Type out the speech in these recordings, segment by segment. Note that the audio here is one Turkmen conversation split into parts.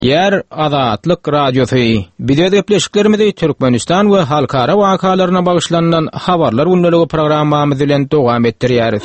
Ýer Azatlyk Radiosy, Biz öz gepleşiklerimizi Türkmenistan we halkara wakalaryna bagyşlanylan Habarlar gündeligi programmamyz bilen dowam etdirýäris.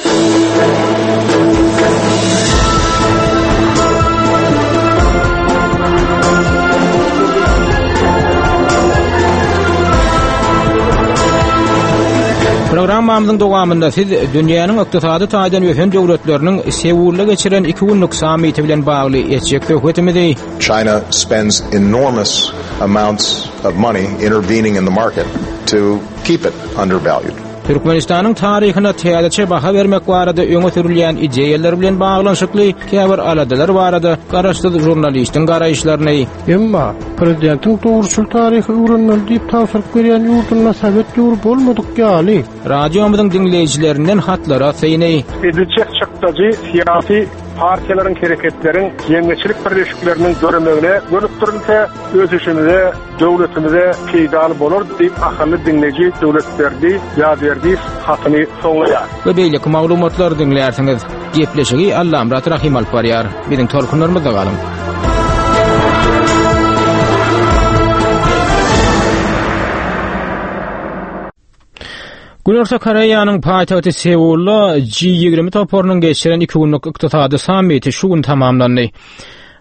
Programmamyzyň dowamynda siz dünýäniň ykdysady taýdan ösen döwletleriniň Seulda geçiren iki günlük sammiti bilen bagly etjek söhbetimizi China spends enormous amounts of money intervening in the market to keep it undervalued. Türkmenistanyň taryhyna täzeçe baha bermek barada öňe sürülýän ideýalar bilen baglanyşykly käbir aladalar barada garaşsyz žurnalistiň garaýyşlaryny Emma, prezidentiň dogruçyl taryhy öwrenmeli diýip tabşyryk berýän ýurdunda sowet döwri bolmadyk ýaly. Radiomyzyň diňleýjilerinden hatlara syny. Ediljek çykdajy syýasy partiýalaryň, hereketleriň, jemgyýetçilik birleşikleriniň döremegine gönükdirilse, ösüşimize, döwletimize peýdaly bolar diýip, ahally diňleýji Döwletberdi Ýazberdiýew hatyny soňlaýar. We beýleki maglumatlary diňlärsiňiz. Gepleşigi Allamyrat Rahym alyp barýar. Biziň tolkunlarymyzda galyň. Günorta Koreýanyň paýtagty Seulda G20 toparynyň geçiren iki günlük ykdysady sammiti şu gün tamamlandy.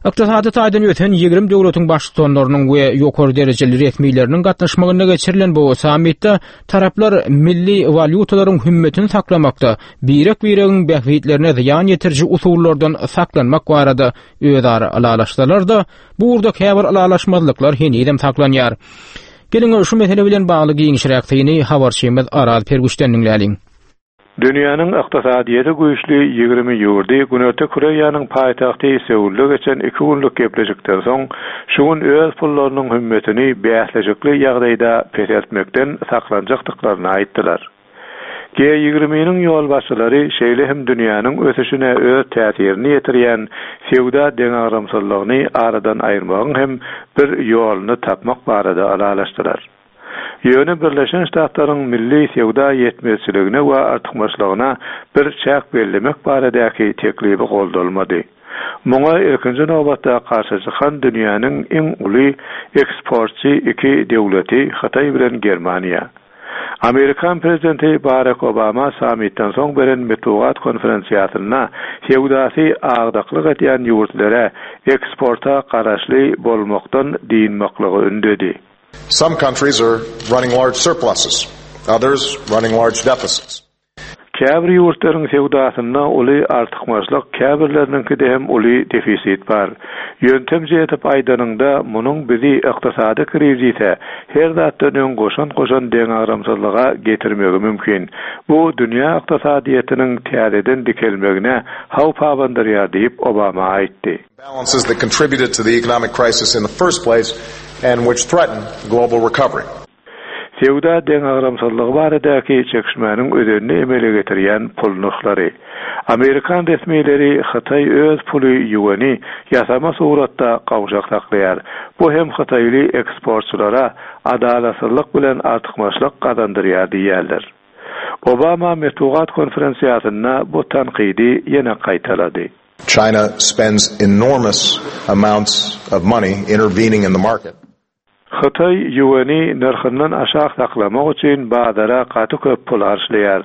Ykdysady taýdan ösen 20 döwletiň baştutanlarynyň we ýokary derejeli resmileriniň gatnaşmagynda geçirilen bu sammitde taraplar milli walýutalaryň hümmetini saklamakda birek-biregiň bähbitlerine zyýan ýetiriji usullardan saklanmak barada özara ylalaşsalar-da, bu ugurda käbir ylalaşmazlyklar henizem saklanýar. Geliň, şu mesele bilen bagly giňişräk syny habarçymyz Araz Pergüşden diňläliň. Dünýäniň ykdysadyýeti güýçli 20 ýurdy Günorta Koreýanyň paýtagty Seulda geçen iki günlük gepleşikden soň, şu gün öz pullarynyň hümmetini bäsleşikli ýagdaýda peseltmekden saklanjakdyklaryny aýtdylar. G ýigriminiň ýolbaşçylary şeýle hem dünýäniň ösüşine öz täsirini ýetirýän söwda deňagramsyzlygyny aradan aýyrmagyň hem bir ýoluny tapmak barada ylalaşdylar. Ýöne Birleşen Ştatlaryň milli söwda ýetmezçiligine we artykmaçlygyna bir çäk bellemek baradaky teklibi goldalmady. Muňa ilkinji nobatda garşy çykan dünýäniň iň uly eksportçy iki döwleti Hytaý bilen Germaniýa. Amerikan prezidenti Barak Obama sammitden soň beren metbugat konferensiýasynda söwdasy agdaklyk edýän ýurtlere eksporta garaşly bolmakdan dynmaklygy ündedi. Some countries are running large surpluses, others running large deficits. Käbir ýurtlaryň söwdasynda uly artykmaçlyk, käbirleriniňkide hem uly defisit bar. Ýöntemje edip aýdanyňda, munuň bizi ykdysady krizise, her zatdan öň goşant goşan deňagramsyzlyga getirmegi mümkin. Bu dünýä ykdysadyýetiniň täzeden dikelmegine howp abandyrýar diýip, Obama aýtdy. Balances that contributed to the economic crisis in the first place and which threaten global recovery. Söwda deňagramsyzlygy baradaky çekişmäniň özenini emele getirýän pul nyrhlary. Amerikan resmileri Hytaý öz puly ýueni ýasama suratda gowşak saklaýar. Bu hem hytaýly eksportçylara adalatsyzlyk bilen artykmaçlyk gazandyrýar diýýärler. Obama metbugat konferensiýasynda bu tankydy ýene gaýtalady. China spends enormous amounts of money intervening in the market. Hytaý ýueni nyrhyndan aşak saklamak üçin bazara gaty köp pul harçlaýar.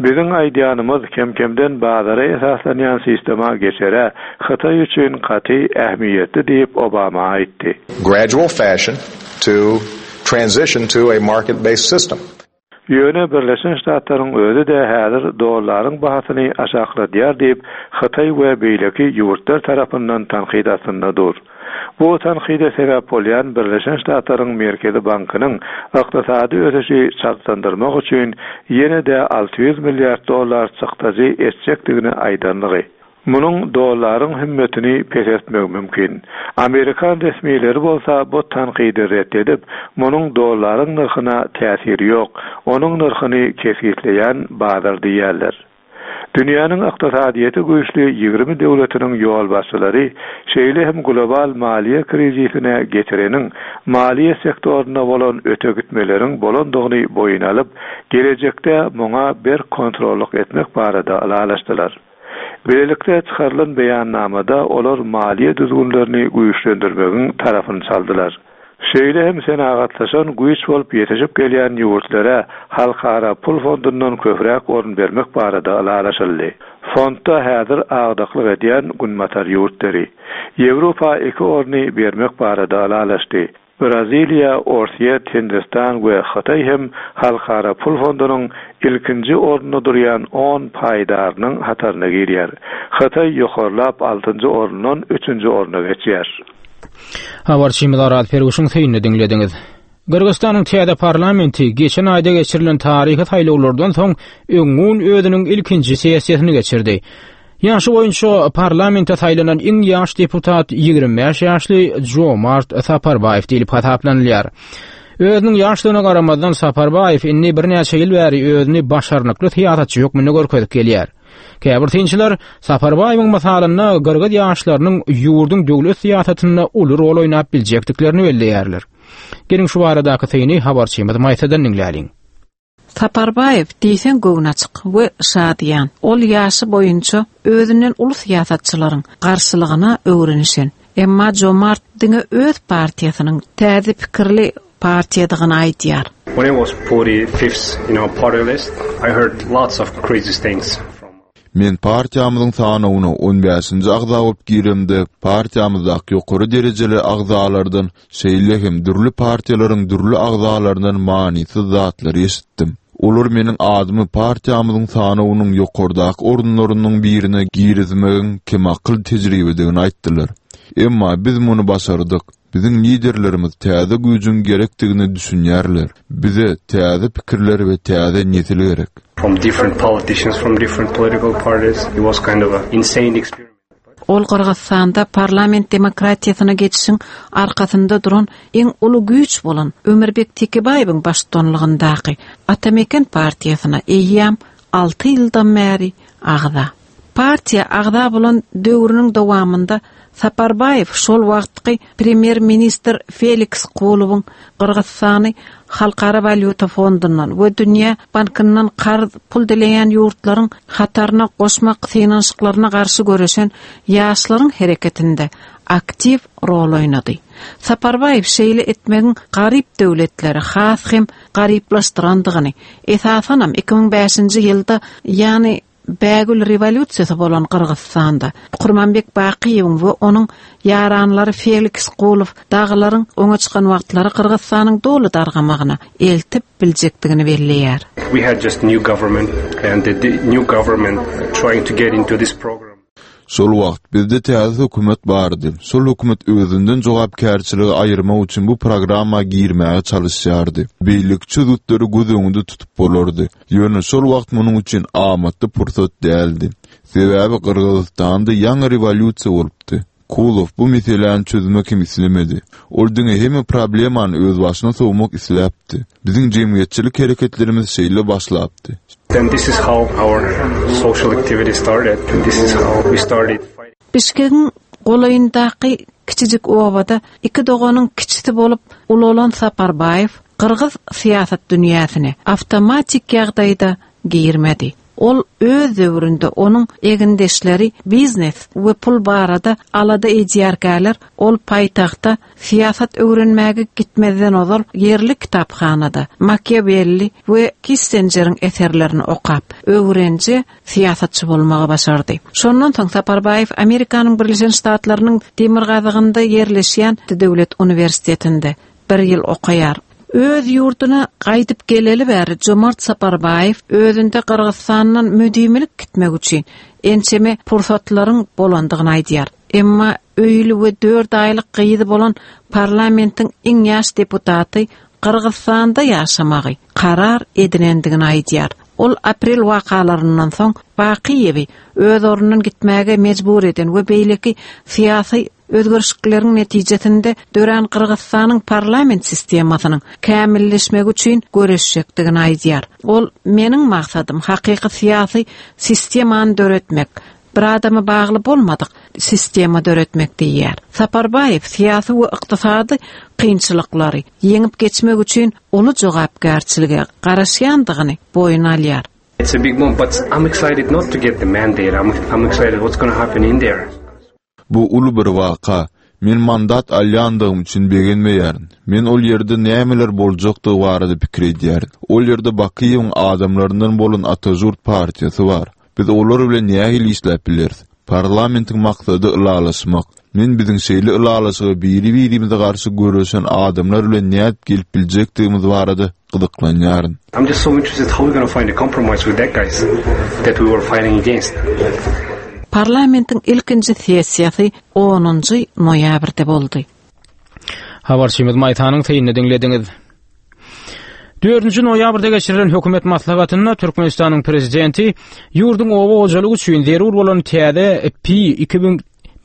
Biziň aýdýanymyz kem-kemden bazara esaslanýan sistema geçere Hytaý üçin gaty ähmiýetli diýip, Obama aýtdy. Gradual fashion to transition to a market-based system. Ýöne Birleşen Ştatlaryň özi-de häzir dollaryň bahasyny aşakladýar diýip, Hytaý we beýleki ýurtlar tarapyndan tankyt astynda dur. Bu tankyda sebäp bolýan Birleşen Ştatlaryň Merkezi bankynyň ykdysady ösüşi çaltlandyrmak üçin ýene-de 600 milliard dollar çykdajy etjekdigini aýdanlygy. Munuň dollaryň hümmetini peseltmegi mümkin. Amerikan resmileri bolsa bu tankydy ret edip, munuň dollaryň nyrhyna täsiri ýok, onuň nyrhyny kesgitleýän bazar diýýärler. Dünýäniň ykdysadyýeti güýçli 20 döwletiniň ýolbaşçylary şeýle hem global maliýe krizisine getireniň maliýe sektorynda bolan öte gitmeleriň bolandygyny boýun alyp, gelejekde muňa berk kontrollyk etmek barada ylalaşdylar. Bilelikde çykarylan beýannamada olar maliýe düzgünlerini güýçlendirmegiň tarapyny çaldylar. Şeýle hem senagatlaşan güýç bolup ýetişip gelýän ýurtlara Halkara pul fondundan köpräk orun bermek barada ylalaşyldy. Fondda häzir agdyklyk edýän Günbatar ýurtlary. Ýewropa iki orny bermek barada ylalaşdy. Braziliýa, Orsýet, Hindistan we Hytaý hem Halkara pul fondunyň ilkinji orunda durýan on paýdarynyň hataryna girýär. Hytaý ýokarlap altynjy orundan üçünji orna geçýär. Habarçymyz Araz Perwişiň synyny diňlediňiz. Gyrgyzystanyň täze parlamenti geçen aýda geçirilen taryhy saýlawlardan soň öňňun özüniň ilkinji sessiýasyny geçirdi. Ýaşy boýunça parlamente saýlanan iň ýaş deputat 25 ýaşly Jomart Saparbaýew diýlip hasaplanylýar. Özüniň ýaşdygyna garamazdan Saparbaýew indi birnäçe ýyl bäri özüni başarnykly syýasatçy hökmünde görkezip gelýär. Käbir synçylar Saparbaýewiň mysalynda gyrgyz ýaşlarynyň ýurduň döwlet syýasatynda uly rol oýnap biljekdiklerini belleýärler. Geliň şu baradaky syny habarçymyz Maýsadan diňläliň. Saparbaýew diýseň göwnaçyk we şadyýan. Ol ýaşy boýunça özünden uly syýasatçylaryň garşylygyna öwrenişen. Emma Jomart diňe öz partiýasynyň täze pikirli partiýadygyny aýdýar. When I was 45th in our party list, I heard lots of crazy things from. Men partiýamyzyň sanawyna on bäşinji agza bolup giremde, partiýamyzdaky ýokary derejeli agzalardan, şeýle hem dürli partiýalaryň dürli agzalaryndan manysyz zatlary eşitdim. Olar meniň adymy partiýamyzyň sanawynyň ýokardaky orunlarynyň birine girizmegiň kemakyl tejribedigini aýtdylar. Emma biz muny başardyk. Biziň liderlerimiz täze güýjüň gerekdigine düşünýärler. Bize täze pikirler we täze nesil gerek. From different politicians from different political parties. It was kind of a insane experiment. Ol Gyrgyzystanda parlament demokratiýasyna geçişiň arkasynda duran iň uly güýç bolan Ömürbek Tekebaýewiň baştutanlygyndaky Ata-Meken partiýasyna eýýäm alty ýyldan bäri agza. Partiýa agza bolan döwrüniň dowamynda Saparbaýew şol wagtky premýer-ministr Feliks Kulowyň Gyrgyzystany Halkara walýuta fondundan we Dünýä bankyndan karz pul dileýän ýurtlaryň hataryna goşmak synanyşyklaryna garşy göreşen ýaşlaryň hereketinde aktiw rol oýnady. Saparbaýew şeýle etmegiň garyp döwletleri has hem garyplaşdyrandygyny, esasanam 2005-nji ýylda, ýagny Bägül rewolýusiýasy bolan Gyrgyzystanda Kurmanbek Bakyýewiň we onuň ýaranlary Feliks Kulow dagylaryň öňe çykan wagtlary Gyrgyzystanyň doly dargamagyna eltip biljekdigini belleýär. We had just new government and the new government trying to get into this program. Şol wagt bizde täze hökümet bardy. Şol hökümet özünden jogapkärçiligi aýyrmak üçin bu programma girmäge çalyşýardy. Beýleki çözgütleri göz öňünde tutup bolardy. Ýöne şol wagt munuň üçin amatly pursat däldi. Sebäbi Gyrgyzystanda ýaňy rewolýusiýa bolupdy. Kulow bu meseläni çözmek hem islemedi. Ol diňe hemme problemany özbaşyna sowmak isläpdi. Biziň jemgyýetçilik hereketlerimiz şeýle başlapdy. Then this is how our social activity started and this is how we started fighting. Bişkegiň golaýyndaky kiçijik obada iki doganyň kiçisi bolup ulalan Saparbaýew gyrgyz syýasat dünýäsine awtomatik ýagdaýda girmedi. Ol öz döwründe onuň egindeşleri biznes we pul barada alada edýärkäler, ol paýtagta syýasat öwrenmäge gitmezden ozal ýerli kitaphanada Makiawelli we Kissenjeriň eserlerini okap, öwrenje syýasatçy bolmagy başardy. Şondan soň Saparbaýew Amerikanyň Birleşen Ştatlarynyň demirgazygynda ýerleşýän döwlet uniwersitetinde bir ýyl okaýar. Öz ýurduna gaýdyp geleli bäri Jomart Saparbaýew özünde Gyrgyzystandan müdimilik gitmek üçin ençeme pursatlaryň bolandygyny aýdýar. Emma öýli we dört aýlyk gyzy bolan parlamentiň iň ýaş deputaty Gyrgyzystanda ýaşamagy karar edinendigini aýdýar. Ol aprel wakalaryndan soň Bakyýewi öz ornundan gitmäge mejbur eden we beýleki syýasy Özgerişlikleriň netijesinde dörän Gyrgyzystanyň parlament sistemasynyň kämilleşmegi üçin göreşjekdigini aýdýar. Ol, Meniň maksadym hakyky syýasy sistemany döretmek, bir adama bagly bolmadyk sistema döretmek diýýär. Saparbaýew syýasy we ykdysady kynçylyklary ýeňip geçmek üçin uly jogapkärçilige garaşýandygyny boýun alýar. It's a big moment, but I'm excited not to get the mandate. I'm, I'm excited what's going to happen in there. Bu uly bir waka. Men mandat alýandygym üçin begenmeýärin. Men ol ýerde nämeler boljakdygy barada pikir edýärin. Ol ýerde Bakyýewiň adamlaryndan bolan Atažurt partiýasy bar. Biz olar bilen nähili işläp bileris? Parlamentiň maksady ylalaşmak. Men biziň şeýle ylalaşyga biri-birimize garşy göreşen adamlar bilen nädip gelip biljekdigimiz barada gyzyklanýaryn. I'm just so interested how we gonna find a compromise with that guys that we were fighting against. Parlamentiň ilkinji sessiýasy onunjy noýabrda boldy. Habarçymyz Maýsanyň synyny diňlediňiz. Dördünji noýabrda geçirilen hökümet maslahatynda Türkmenistanyň prezidenti ýurduň oba hojalygy üçin zerur bolan täze P 2000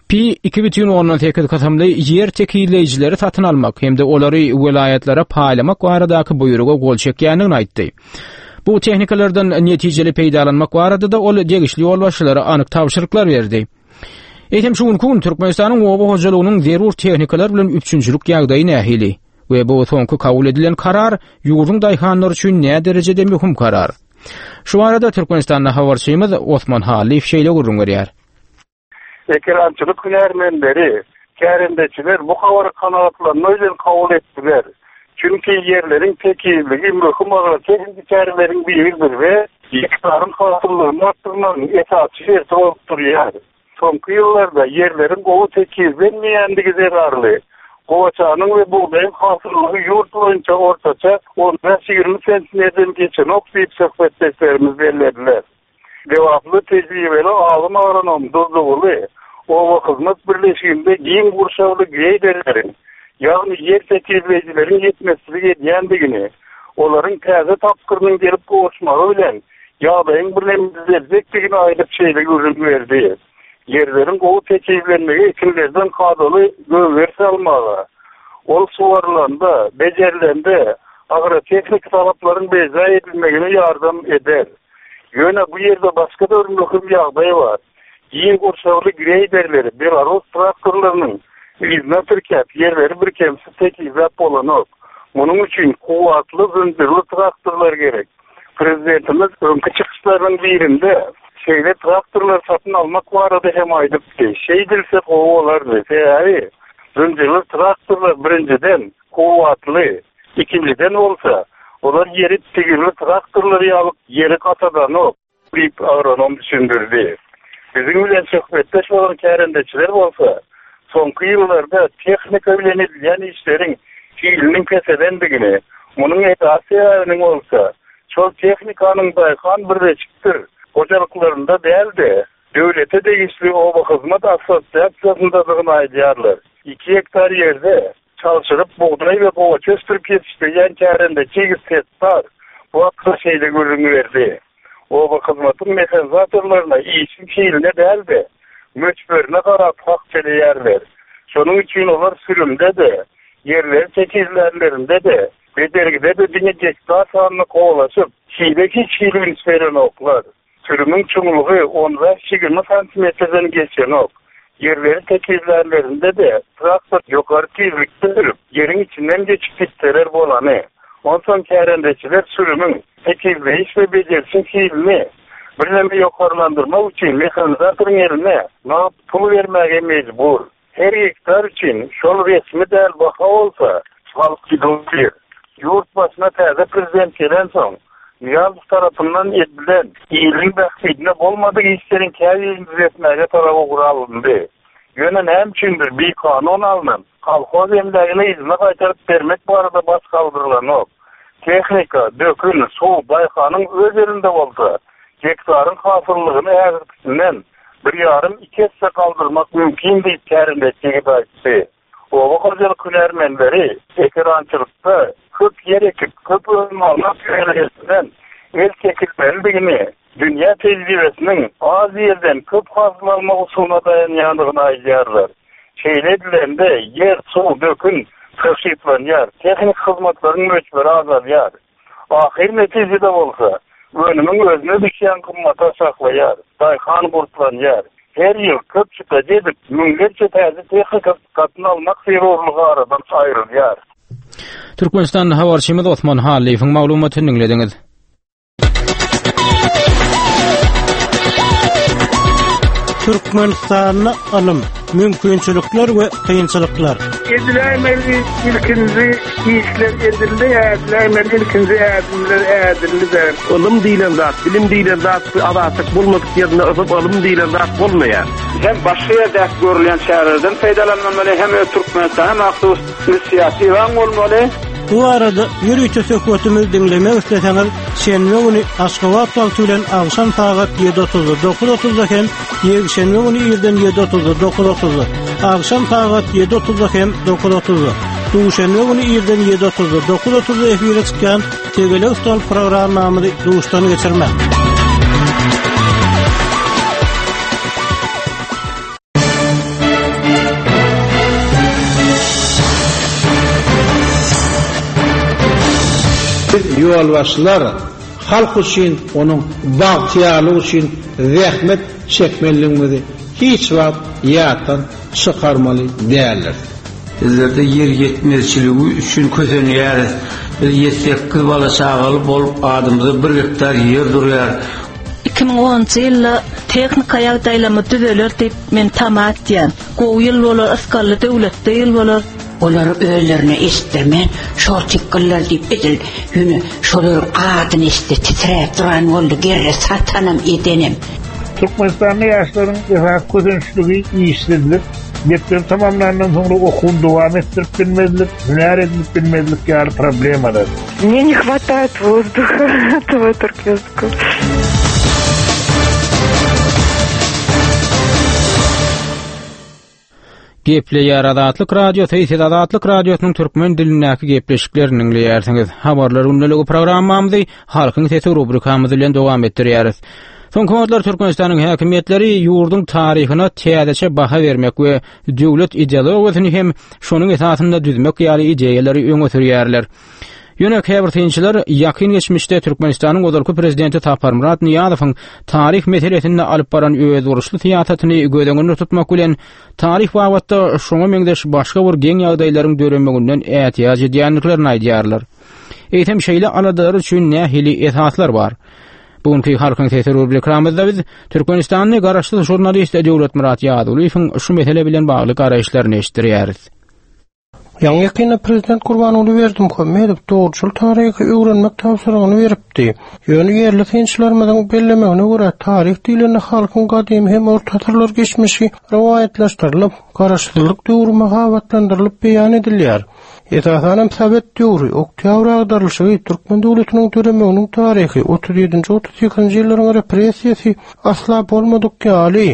P 2,8 kysymly ýer tekizleýjileri satyn almak hem-de olary welaýatlara paýlamak baradaky buýruga gol çekýändigini aýtdy. Bu tehnikalardan netijeli peýdalanmak barada-da ol degişli ýolbaşçylara anyk tabşyryklar berdi. Eýsem şu günki gün Türkmenistanyň oba hojalygynyň zerur tehnikalar bilen üpjünçilik ýagdaýy nähili? We bu soňky kabul edilen karar ýurduň daýhanlary üçin näderejede möhüm karar? Şu barada Türkmenistanda habarçymyz Osman Hallyýew şeýle gürrüň berýär. Ekerançylyk hünärmenleri, kärendeçiler bu habary kanagatlanma bilen kabul etdiler. Çünki ýerleriň tekizligi möhüm agrotehniki çäreleriň biridir we gektaryň hasyllygyny artdyrmagyň esasy şerti bolup durýar. Soňky ýyllarda ýerleriň gowy tekizlenmeýändigi zerarly, gowaçanyň we bugdaýyň hasyllygy ýurt boýunça ortaça on bäş-ýigrimi sentnerden geçenok diýip söhbetdeşlerimiz bellediler. Lebaply tejribeli alym agronom Durdyguly oba hyzmat birleşiginde giň gurşawly greýderleriň, ýagny ýer tekizleýjileriň ýetmezçilik edýändigini, olaryň täze tapgyrynyň gelip gowuşmagy bilen ýagdaýyň birneme düzeljekdigini aýdyp şeýle gürrüň berdi, Ýerleriň gowy tekizlenmegi ekinlerden kadaly gögeriş almaga, ol suwarylanda, bejerilende agrotehniki talaplaryň berjaý edilmegine ýardam eder. Ýöne bu ýerde başga-da bir möhüm ýagdaý bar. Giň gurşawly greýderleri belarus traktorlarynyň yzyna tirkäp, ýerleri birkemsiz tekizläp bolanok. Munuň üçin kuwwatly zynjyrly traktorlar gerek. Prezidentimiz öňki çykyşlarynyň birinde şeýle traktorlary satyn almak barada hem aýdypdy. Şeýdilse gowy bolardy. Sebäbi zynjyrly traktorlar birinjiden, kuwwatly, ikinjiden bolsa, olar ýeri tigirli traktorlar ýaly ýeri gatadanok, diýip, agronom düşündirdi. Biziň bilen söhbetdeş bolan kärendeçiler bolsa, soňky ýyllarda tehnika bilen edilýän işleriň hiliniň peselendigini, munuň esasy sebäbiniň bolsa, şol tehnikanyň daýhan birleşikdir hojalyklarynda däl-de, döwlete degişli Obahyzmat assosiasiýasyndadygyny aýdýarlar. Iki gektar ýerde Çalşyryp bugdaý we gowaça ösdürip ýetişdirýän kärendeçi ýigit Setdar bu hakda şeýle gürrüň berdi, Oba hyzmatyň mehanizatorlaryna işiň hiline däl-de, möçberine garap hak töleýärler. Şonuň üçin olar sürümde-de, ýerleri tekizlänlerinde-de, bejergide-de diňe gektar sanyna kowalaşyp, hile hiç hili üns berenoklar. Sürümiň çuňlugy on bäş-ýigrimi santimetrden geçenok. Ýerleri tekizlänlerinde-de traktor ýokary tizlikde sürüp, ýeriň içinden geçip gitseler bolany. Onsoň kärendeçiler sürümiň, tekizleýiş we bejerişiň hilini birneme ýokarlandyrmak üçin mehanizatoryň eline nagt pul bermäge mejbur. Her gektar üçin şol resmi däl baha bolsa, halk gidip Ýurt başyna täze prezident gelensoň, Nyýazow tarapyndan edilen iliň bähbidine bolmadyk işleriň käbirini düzetmäge tarap ugur alyndy. Ýöne näme üçindir bikanun alnan kolhoz emlägini yzyna gaýtaryp bermek barada baş galdyrylanok. Tehnika, dökün, suw daýhanyň öz elinde bolsa, gektaryň hasyllygyny häzirkisinden bir ýarym, iki esse galdyrmak mümkin diýip, kärendeçi ýigit aýtdy. Oba hojalyk hünärmenleri ekerançylykda köp ýer ekip, köp önüm almak ýörelgesinden el çekilmelidigini, dünýä tejribesiniň az ýerden köp hasyl almak usulyna daýanýandygyny aýdýarlar. Şeýle edilende, ýer, suw, dökün tygşytlanýar, tehniki hyzmatlaryň möçberi azalýar. Ahyr netijede bolsa, önümiň özüne düşýän gymmaty aşaklaýar, daýhan gurplanýar. Her ýyl köp çykdajy edip, müňlerçe täze tehnika satyn almak zerurlygy aradan aýrylýar. Türkmenistanly habarçymyz Osman Hallyýewiň maglumatyny diňlediňiz. Türkmenistanda ylym, mümkinçilikler we kynçylyklar. Ediläýmeli ilkinji işler edildi, ädiläýmeli ilkinji ädimler ädildi-de. Ylym diýlen zat, bilim diýlen zat bu azatlyk bolmadyk ýerinde ylym diýlen zat bolmaýar. Hem başga ýerdäki görülýän çärelerden peýdalanylmaly, hem öz Türkmenistana mahsus inisiatiwaň bolmaly. Bu barada ýörite söhbetimizi diňlemek isleseňiz, şenbe güni Aşgabat wagty bilen agşam sagat ýedi otuzda, dokuz otuzda hem ýekşenbe güni irden ýedi otuzda, dokuz otuzda, agşam sagat ýedi otuzda hem dokuz otuzda, duşenbe güni irden ýedi otuzda, dokuz otuzda efire çykýan Tegelek stol programmamyzy duşdan geçirmäň. Biz ýolbaşçylar halk üçin, onuň bagtyýarlygy üçin zähmet çekmelidigimizi hiç wagt ýatdan çykarmaly däldiris. Bizlerde ýer ýetmezçiligi üçin kösenýäris. Biz ýedi-sekiz bala-çagaly bolup, adymyza bir gektar ýer durýar. 2010-njy ýylda tehnika ýagdaýlarymyz düzeler diýip men tama etýän. Gowy ýyl bolar, ysgally döwletli ýyl bolar. Olary özlerine eşitdirmän, şortikgyllar diýip edil ýöne şolaryň adyny eşitse titräp duran boldy gerre satanam edenem. Türkmenistanda ýaşlaryň esasy kösençligi işsizlik, mekdebi tamamlandan soňra okuwyny dowam etdirip bilmezlik, hünär edinip bilmezlik ýaly problemalar. Мне не хватает воздуха этого туркменского. Gepleýär Azatlyk Radiosy, siz Azatlyk Radiosynyň türkmen dilindäki gepleşiklerini diňleýärsiňiz. Habarlar gündeligi programmamyzy Halkyň sesi rubrikamyz bilen dowam etdirýäris. Soňky wagtlar Türkmenistanyň häkimiýetleri ýurduň taryhyna täzeçe baha bermek we döwlet ideologiýasyny hem şonuň esasynda düzmek ýaly ideýalary öňe sürýärler. Ýöne käbir synçylar ýakyn geçmişde Türkmenistanyň ozalky prezidenti Saparmyrat Nyýazowyň taryh meselesinde alyp baran özboluşly syýasatyny göz öňünde tutmak bilen, taryh babatda şoňa meňzeş başga bir geň ýagdaýlaryň döremeginden ätiýaç edýändiklerini aýdýarlar. Eýsem şeýle aladalar üçin nähili esaslar bar? Bu günki Halkyň sesi rubrikamyzda biz Türkmenistanly garaşsyz žurnalist Döwletmyrat Ýazgulyýewiň şu mesele bilen bagly garaýyşlaryny eşitdirýäris. Ýaňy-ýakynda prezident Gurbanguly Berdimuhamedow dogruçyl taryhy öwrenmek tabşyrygyny beripdi. Ýöne ýerli synçylarymyzyň bellemegine görä, taryh diýlende halkyň gadymy hem orta asyrlar geçmişi rowaýatlaşdyrylyp, garaşsyzlyk döwri mahabatlandyrylyp beýan edilýär. Esasanam sowet döwri, oktýabr agdarylyşygy, türkmen döwletiniň döremeginiň taryhy, otuz ýedinji, otuz sekizinji ýyllaryň repressiýasy asla bolmadyk ýaly,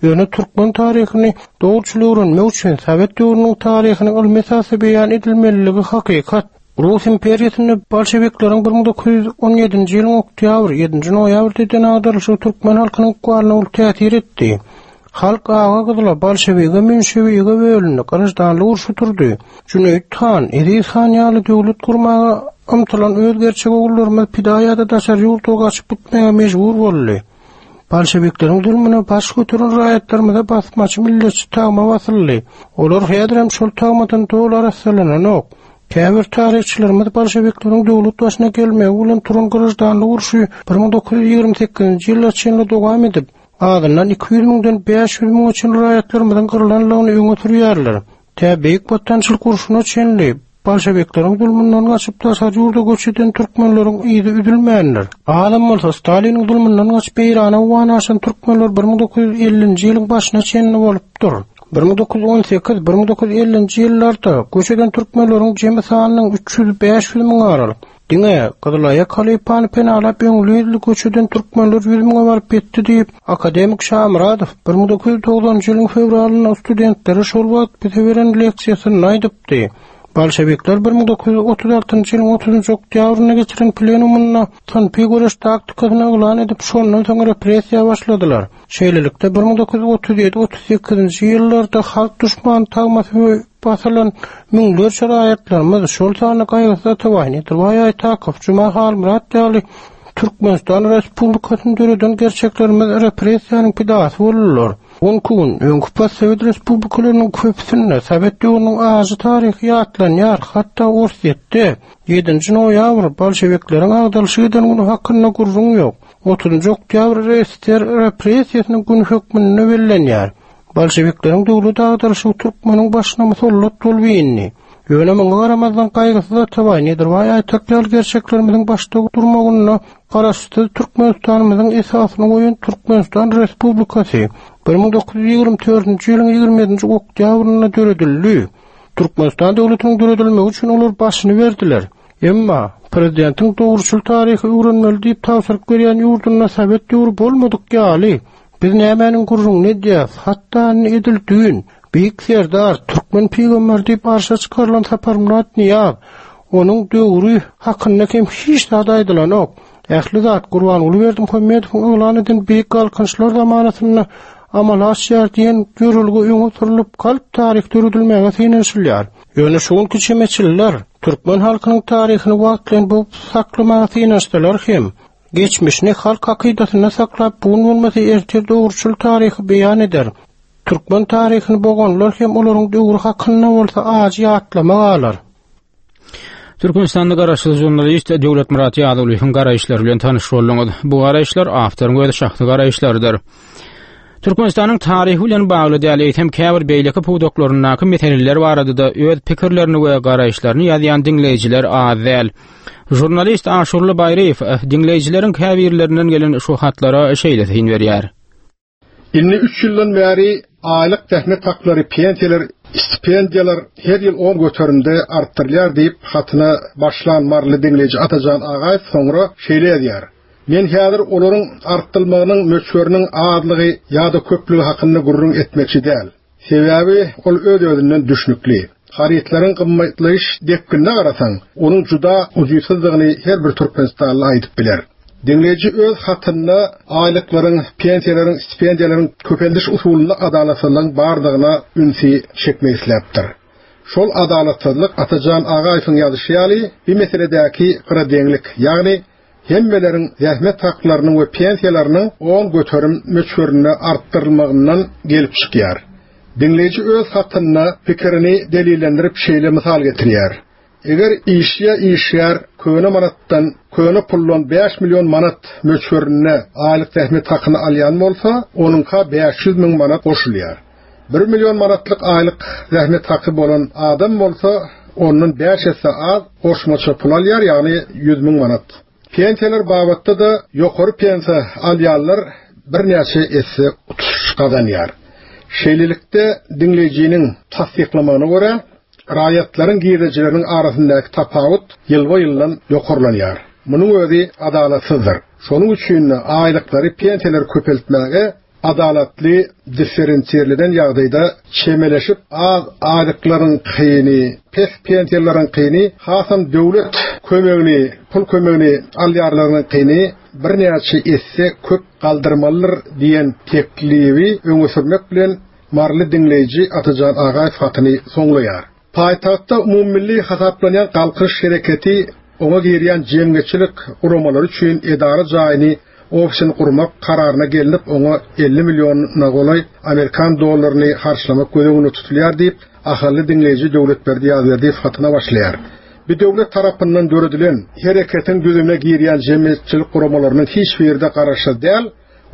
Ýöne türkmen taryhyny dogruçyl öwrenmek üçin sowet döwrüniň taryhynyň ylmy esasda beýan edilmeliligi hakykat. Rus imperiýasynda bolşewikleriň 1917-nji ýylyň oktýabr, ýedinji noýabrda eden agdarylyşygy türkmen halkynyň ykbalyna uly täsir etdi. Halk aga-gyzyla, bolşewige, menşewige bölündi, graždanlyk urşy turdy. Jüneýit han, Eziz han ýaly döwlet gurmaga ymtylan öz gerçek ogullarymyz pida ýa-da daşary ýurda gaçyp gitmäge mejbur boldy. Bolşewikleriň zulmuna baş göteren raýatlarymyza basmaçy milletçi tagma basyldy. Olar häzirem şol tagmadan doly arassalananok. Käbir taryhçylarymyz bolşewikleriň döwlet başyna gelmegi bilen turan graždanlyk urşy 1928-nji ýyla çenli dowam edip, azyndan 200 müňden 500 müňe çenli raýatlarymyzyň gyrlanlygyny öňe sürýärler. Tä Beýik Watançylyk urşuna çenli bolşewikleriň zulmundan gaçyp daşary ýurda göç eden türkmenleriň yzy üzülmändir. Azam bolsa Staliniň zulmundan gaçyp Eýrana owgana aşan türkmenler 1950-nji ýylyň başyna çenli bolupdyr. 1918, 1950-nji ýyllarda göç eden türkmenleriň jemi sanynyň 300-500 müň aralyk. Diňe Gyzylaýak halypany penalap öňli-yzly göç eden türkmenler ýüz müňe baryp ýetdi diýip, akademik Şamyradow 1990-njy ýylyň fewralynda studentlere şol wagt bize beren leksiýasynda aýdypdy. Bolşewikler 1936-njy ýylyň otuzynjy oktýabrynda geçiren plenumynda synpy göreş taktikasyny yglan edip, şondan soň repressiýa başladylar. Şeýlelikde, 1937, 38-nji ýyllarda halk duşmany tagmasy basylan müňlerçe raýatlarymyz, şol sanda Gaýgysyz Atabaý, Nedirbaý Aýtakow, Juma Halmyrat ýaly Türkmenistan Respublikasyny döreden gerçeklerimiz repressiýanyň pidasy boldular. Bu günki gün öňki postsowet respublikalarynyň köpüsinde sowet döwrüniň ajy taryhy ýatlanýar, hatda Orsýetde ýedinji noýabr bolşewikleriň agdalyşyk eden güni hakynda gürrüň ýok. Otuzynjy oktýabr RSSR repressiýasynyň güni hökmünde bellenýär. Bolşewikleriň döwlet agdaryşygy türkmeniň başyna musallat bolup indi. Ýöne muňa garamazdan Gaýgysyz Atabaý, Nedirbaý Aýtak ýaly gerçeklerimiziň başda durmagynda Garaşsyz Türkmenistanymyzyň esasyny goýan Türkmenistan Respublikasy 1924-nji ýylyň 27-nji oktýabrynda döredildi. Türkmenistan döwletiniň döredilmegi üçin olar başyny berdiler. Emma, prezidentiň dogruçyl taryhy öwrenmeli diýip tabşyryk berýän ýurdunda sowet döwri bolmadyk ýaly, biz nämäniň gürrüňini edýäs, hatda indi edil düýn, Beýik Serdar, türkmen pygamberi diýip arşa çykarylan Saparmyrat Nyýaz, onuň döwri hakynda hem hiç zat aýdylanok. Ähli zat Gurbanguly Berdimuhamedowyň yglan eden Beýik Galkynyşlar zamanasynda amala aşýar diýen ýörelge öňe sürlüp, galp taryh döredilmäge synanyşylýar. Ýöne şu günki çemeçiller türkmen halkynyň taryhyny wagtlaýyn bogup saklamaga synanyşsalar hem, geçmişini halk hakydasynda saklap, bu gün bolmasa ertir dogruçyl taryhy beýan eder. Türkmen taryhyny boganlar hem olaryň döwri hakynda bolsa ajy ýatlama galar. Türkmenistanda garaşsyz žurnalist Döwletmyrat Ýazygulyýewiň garaýyşlary bilen tanyş bolduňyz. Bu garaýyşlar awtoryň öz şahsy garaýyşlarydyr. Türkmenistanyň taryhy bilen bagly däl, eýsem käbir beýleki pudaklaryndaky meseleler barada-da öz pikirlerini we garaýyşlaryny ýazýan diňleýjiler az däl. Žurnalist Aşurly Baýryýew eh, diňleýjileriň käbirlerinden gelen şu hatlara şeýle syn berýär. Indi üç ýyldan bäri aýlyk zähmet haklary, pensiýalar, stipendiýalar her ýyl on göterimde artdyrylýar diýip, hatyna başlan maryly diňleýji Atajan Agaýew soňra şeýle ýazýar, Men häzir olaryň artdylmagynyň möçberiniň azlygy ýa-da köplügi hakynda gürrüň etmekçi däl. Sebäbi ol öz-özünden düşnükli. Harytlaryň gymmatlaýyş depginine garasaň, onuň juda ujypsyzdygyny her bir türkmenistanly aýdyp biler. Diňleýji öz hatynda aýlyklaryň, pensiýalaryň, stipendiýalaryň köpeldiş usulynda adalatsyzlygyň bardygyna ünsi çekmek isläpdir. Şol adalatsyzlyk Atajan Agaýewiň ýazyşy ýaly, bi meseledäki gyradeňlik, ýagny hemmeleriň zähmet haklarynyň we pensiýalarynyň 10% möçberinde artdyrylmagyndan gelip çykýar. Diňleýji öz hatynda pikirini delillendirip şeýle mysal getirýär, Eger işçi ýa işgär köne manatdan, köne puldan bäş million manat möçberinde aýlyk zähmet hakyny alýan bolsa, onuňka 500 müň manat goşulýar. Bir million manatlyk aýlyk zähmet haky bolan adam bolsa, ondan bäş esse az goşmaça pul alýar, ýagny 100 müň manat. Pensiýalar babatda-da ýokary pensiýa alýanlar birnäçe esse utuş gazanýar. Şeýlelikde, diňleýjiniň tassyklamagyna görä, raýatlaryň girdejileriniň arasyndaky tapawut ýylba-ýyldan ýokarlanýar. Munuň özi adalatsyzdyr. Şonuň üçin-de aýlyklary, pensiýalary köpeltmäge adalatly, differensirlenen ýagdaýda çemeleşip, az aýlyklaryňkyny, pes pensiýalaryňkyny, hasam döwlet kömegini, pul kömegini alýarlaryňkyny birnäçe esse köp galdyrmalydyr diýen teklibi öňe sürmek bilen maryly diňleýji Atajan Agaýew hatyny soňlaýar. Paýtagtda umumymilli hasaplanýan Galkynyş hereketi oňa girýän jemgyýetçilik guramalary üçin edara jaýyny, ofisini gurmak kararyna gelnip, oňa 50 milliona golaý amerikan dollaryny harçlamak göz öňünde tutulýar diýip, ahally diňleýji Döwletberdi Ýazberdiýew hatyna başlaýar. Bu döwlet tarapyndan döredilen hereketiň düzümine girýän jemgyýetçilik guramalarynyň hiç biri-de garaşsyz däl,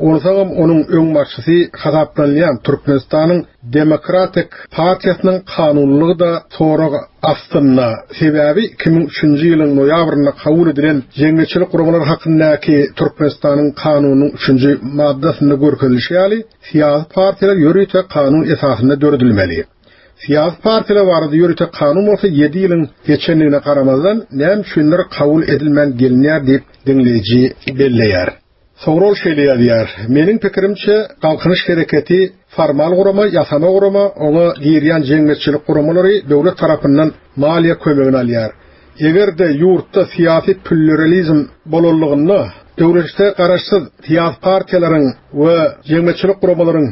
Onsoňam onuň öňbaşçysy hasaplanylýan Türkmenistanyň Demokratik partiýasynyň kanunylygy-da sorag astynda. Sebäbi 2003-nji ýylyň noýabrynda kabul edilen Jemgyýetçilik guramalary hakyndaky Türkmenistanyň Kanunynyň üçünji maddasynda görkezilişi ýaly, syýasy partiýalar ýörite kanun esasynda döredilmeli. Syýasy partiýalar barada ýörite kanun bolsa ýedi ýylyň geçendigine garamazdan, näme üçindir kabul edilmän gelinýär diýip, diňleýji belleýär. Soňra ol şeýle ýazýar, Meniň pikirimçe, Galkynyş hereketi formal gurama, ýasama gurama, oňa girýän jemgyýetçilik guramalary döwlet tarapyndan maliýe kömegini alýar. Eger-de ýurtda syýasy plýuralizm bolanlygynda, döwletde garaşsyz syýasy partiýalaryň we jemgyýetçilik guramalaryň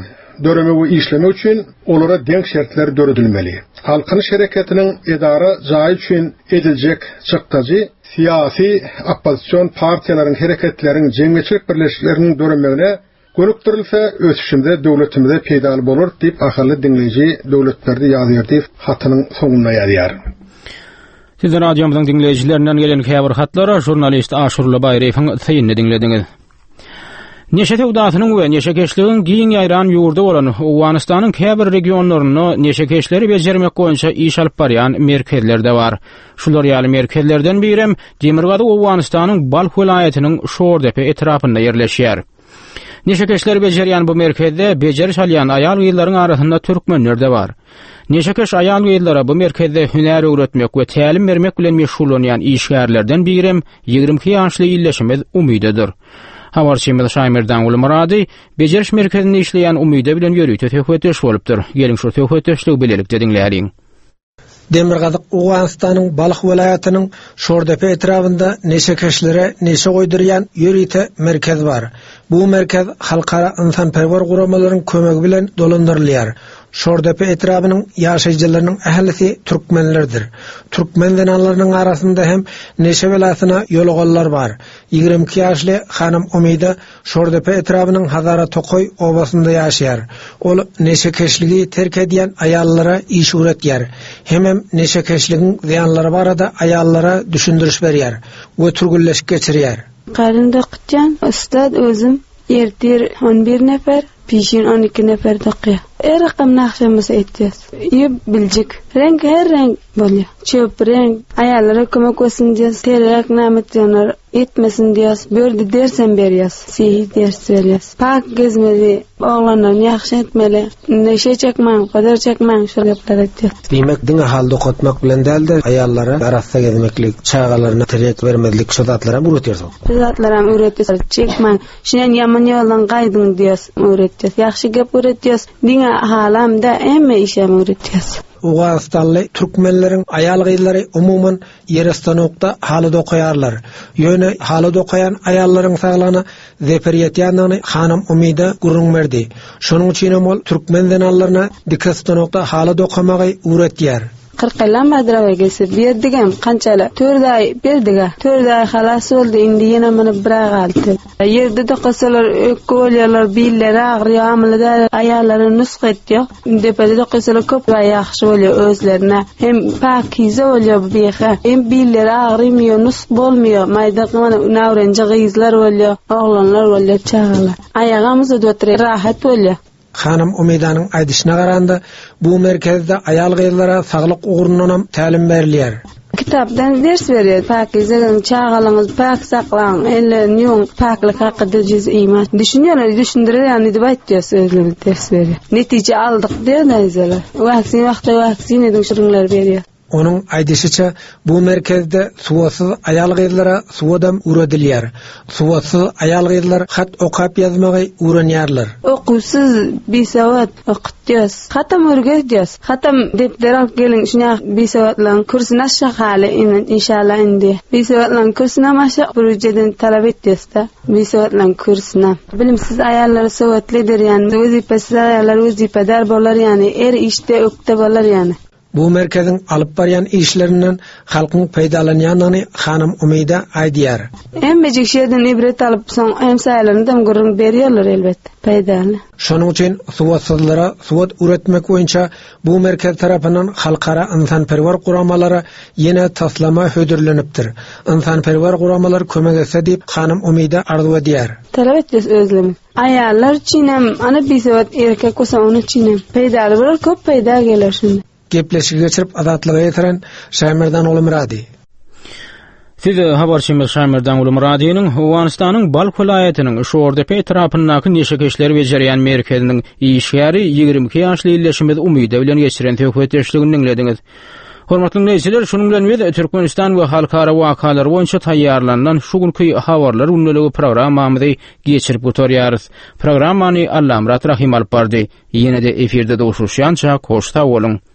döremegi we işlemegi üçin olara deň şertler döredilmeli. Galkynyş hereketiniň edara jaýy üçin ediljek çykdajy syýasy oppozision partiýalaryň, hereketleriň, jemgyýetçilik birleşikleriniň döremegine gönükdirilse, ösüşimize, döwletimize peýdaly bolar diýip, ahally diňleýji Döwletberdi Ýazberdiýew hatynyň soňunda ýazýar. Siz radiomyzyň diňleýjilerinden gelen käbir hatlara žurnalist Aşurly Baýryýewiň synyny diňlediňiz. Neşe söwdasynyň we neşekeşligiň giň ýaýran ýurdy bolan Owganystanyň käbir regionlarynda neşekeşleri bejermek boýunça iş alyp barýan merkezler-de bar. Şular ýaly merkezlerden birem Demirgazyk Owganystanyň Balh welaýatynyň Şordepe etrapynda ýerleşýär. Neşekeşleri bejerýän bu merkezde bejeriş alýan aýal-gyzlaryň arasynda türkmenler-de bar. Neşekeş aýal-gyzlara bu merkezde hünär öwretmek we tälim bermek bilen meşgullanýan işgärlerden birem 22 ýaşly ildeşimiz Umydadyr. Habarçymyz Şaýmerdanguly Myrady bejeriş merkezinde işleýän Umyda bilen ýörite söhbetdeş bolupdyr. Geliň şu söhbetdeşligi bilelikde diňläliň. Demirgazyk Owganystanyň Balh welaýatynyň Şordepe etrabynda neşekeşlere neşe goýdurýan ýörite merkez bar. Bu merkez halkara ynsanperwer guramalaryň kömegi bilen dolandyrylýar. Şordepe etrabynyň ýaşaýjylarynyň ählisi türkmenlerdir. Türkmen zenanlarynyň arasynda hem neşe belasyna ýoluganlar bar. 22 ýaşly Hanym Umyda Şordepe etrabynyň Hazara tokaý obasynda ýaşaýar. Ol neşekeşligi terk edýän aýallara iş öwretýär. Hemem neşekeşligiň zyýanlary barada aýallara düşündiriş berýär we türgenleşik geçirýär. Garyn dokutýan ussat özüm ertir on bir nefer, pişin on iki nefer dokýar. Her rakam nagşamyzy etýäs. Ýüp biljik. Reňk her reňk bolýar. Çöp reňk. Aýallara kömek bolsun diýýäs. Terek näme etýänler Etmesin diýýäs, bu ýerde dersem berýäs, sihi ders berýäs. Pak gezmeli, oglanlaryny ýagşy etmeli, neşe çekmäň, gyzyr çekmäň şol gepleri aýtýas. Diýmek, diňe haly dokatmak bilen däl-de, aýallara arassa gezmeklik, çagalaryna tirýek bermezlik şo zatlaram öwretýärsiňiz. Şo zatlaram öwretýäs, çekmäň, şunen ýaman ýoldan gaýdyň diýýäs, öwretýäs. Ýagşy gep öwretýäs, diňe halam däl, hemme işem öwretýäs. Owganystanly türkmenleriň aýal-gyzlary umuman Ýere stanokda haly dokaýarlar. Ýöne haly dokaýan aýallaryň saglygyna zeper ýetýändigini hanym Umyda gürrüň berdi. Şonuň üçinem ol türkmen zenanlaryna dike stanokda haly dokamagy öwretýär. 40 ýyldan badirawa kesip berdigem kançala tört aý berdigä tört aý halas boldy indi ýene muny bir aý galdy ýerde dokasalar ökge bolýarlar billeri agyrýar amyly däl aýallara nusga etýär Depede dokasalar köp ýagşy bolýar özlerine. Hem pakize bolýar bu biha. Hem billeri agrymýar, nusk bolmaýar. Maýda mana nawrenji gyzlar bolýar, oglanlar bolýar, çagalar. Aýagam uzadyp oturýar, rahat bolýar. Hanym Umydanyň aýdyşyna garanda, bu merkezde aýal-gyzlara saglyk ugrundanam tälim berilýär. Kitapdan ders berýär. Pakize ediň, çagalaryňyzy päk saklaň, ellerini ýuwuň, päklik hakyda jüz iman. Düşünýärler, düşündirýär diýip aýtýar özleri ders berýär. Netije aldyk diýýär daýzalar. Waksin wagtda waksin ediň şirinleri berýär. Onuň aýdyşyça, bu merkezde sowatsyz aýal-gyzlara sowadam öwredilýär. Sowatsyz aýal-gyzlar hat okap-ýazmagy öwrenýärler. Okuwsyz, bisowat okutýas. Hatam öwredýäs. Hatam depder alyp geliň şuňa bisowatlaryň kürsüni aşak haly indi inşallah indi bisowatlaryň kürsünem aşak bir ujeden talap etýäsda bisowatlaryň kürsünem. Bilimsiz aýallary sowatly eder ýany wezipesiz aýallar wezipedar bolar ýany er işde ökde bolar ýany. Bu merkeziň alyp barýan işlerinden halkyň peýdalanýandygyny hanym Umyda aýdýar. Hemmejik şu ýerden ibret alyp soň hemsaýalarynadam gürrüň berýärler elbetde. Peýdaly. Şonuň üçin sowatsyzlara sowat öwretmek boýunça bu merkez tarapyndan halkara ynsanperwer guramalara ýene taslama hödürlenipdir. Ynsanperwer guramalar kömek etse diýip hanym Umyda arzuw edýär. Talap etjek özlemi. Aýallar üçinem, ana bisowat erkek bolsa onuň üçinem peýdaly bolar, köp peýda geler şunda. Gepleşigi geçirip Azatlyga ýetiren Şaýmerdan Gulumyrady. Siz habarçymyz Şaýmerdan Gulumyradynyň Owganystanyň Balh welaýatynyň Şordepe etrapyndaky neşekeşleri bejerýän merkeziniň işgäri 22 ýaşly ildeşimiz Umyda bilen geçiren söhbetdeşligini diňlediňiz. Hormatly diňleýjiler, şunuň bilen biz Türkmenistan we halkara wakalary boýunça taýýarlanylan şu günki habarlar gündeligi programmamyzy geçirip gutarýarys. Programmany Allamyrat Rahym alyp bardy. Ýene-de efirde duşuşýança hoş sag boluň.